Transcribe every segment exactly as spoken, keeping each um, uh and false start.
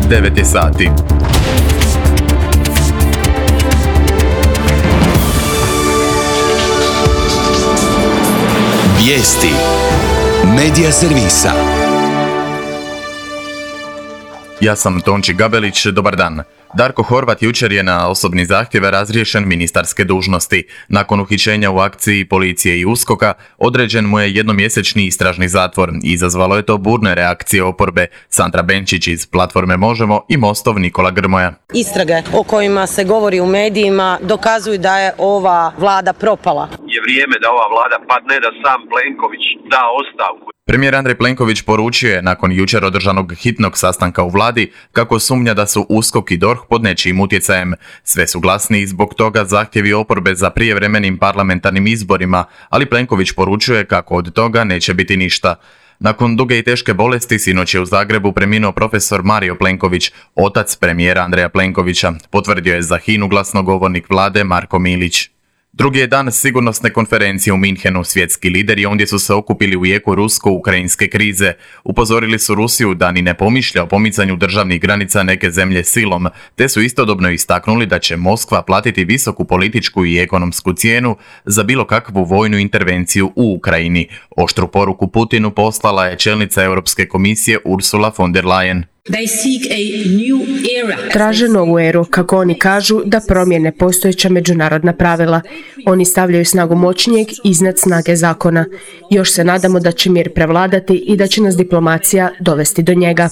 devet je sati. Vijesti Medija servisa. Ja sam Tonči Gabelić, dobar dan. Darko Horvat jučer je na osobni zahtjev razriješen ministarske dužnosti. Nakon uhićenja u akciji policije i USKOK-a određen mu je jednomjesečni istražni zatvor. Izazvalo je to burne reakcije oporbe. Sandra Benčić iz Platforme Možemo i Mostov Nikola Grmoja. Istrage o kojima se govori u medijima dokazuju da je ova vlada propala. Je vrijeme da ova vlada padne, da sam Plenković da ostavku. Premijer Andrej Plenković poručio je nakon jučer održanog hitnog sastanka u vladi kako sumnja da su USKOK i DORH pod nečijim utjecajem. Sve su glasni i zbog toga zahtjevi oporbe za prijevremenim parlamentarnim izborima, ali Plenković poručuje kako od toga neće biti ništa. Nakon duge i teške bolesti sinoć je u Zagrebu preminuo profesor Mario Plenković, otac premijera Andreja Plenkovića, potvrdio je za HINA-u glasnogovornik vlade Marko Milić. Drugi je dan sigurnosne konferencije u Minhenu. Svjetski lideri ondje su se okupili u jeku rusko-ukrajinske krize. Upozorili su Rusiju da ni ne pomišlja o pomicanju državnih granica neke zemlje silom, te su istodobno istaknuli da će Moskva platiti visoku političku i ekonomsku cijenu za bilo kakvu vojnu intervenciju u Ukrajini. Oštru poruku Putinu poslala je čelnica Europske komisije Ursula von der Leyen. Traže novu eru, kako oni kažu, da promijene postojeća međunarodna pravila. Oni stavljaju snagu moćnijeg iznad snage zakona. Još se nadamo da će mir prevladati i da će nas diplomacija dovesti do njega.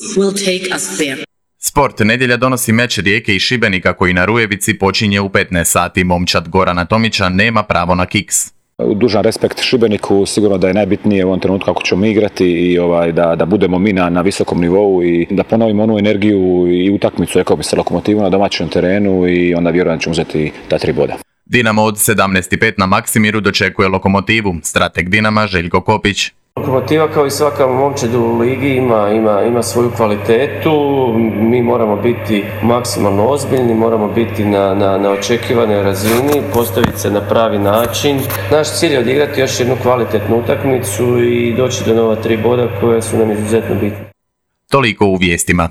Sport. Nedjelja donosi meč Rijeke i Šibenika koji na Rujevici počinje u petnaest sati. Momčad Gorana Tomića nema pravo na kiks. Dužan respekt Šibeniku, sigurno da je najbitnije u ovom trenutku kako ćemo igrati i ovaj, da, da budemo mi na, na visokom nivou i da ponovimo onu energiju i utakmicu, rekao bi se, Lokomotivu na domaćem terenu i onda vjerujem da ćemo uzeti ta tri boda. Dinamo od sedamnaest pet na Maksimiru dočekuje Lokomotivu. Strateg Dinama Željko Kopić. Lokomotiva kao i svaka momčad u ligi ima, ima, ima svoju kvalitetu, mi moramo biti maksimalno ozbiljni, moramo biti na, na, na očekivanoj razini, postaviti se na pravi način. Naš cilj je odigrati još jednu kvalitetnu utakmicu i doći do nova tri boda koje su nam izuzetno bitne. Toliko u vijestima.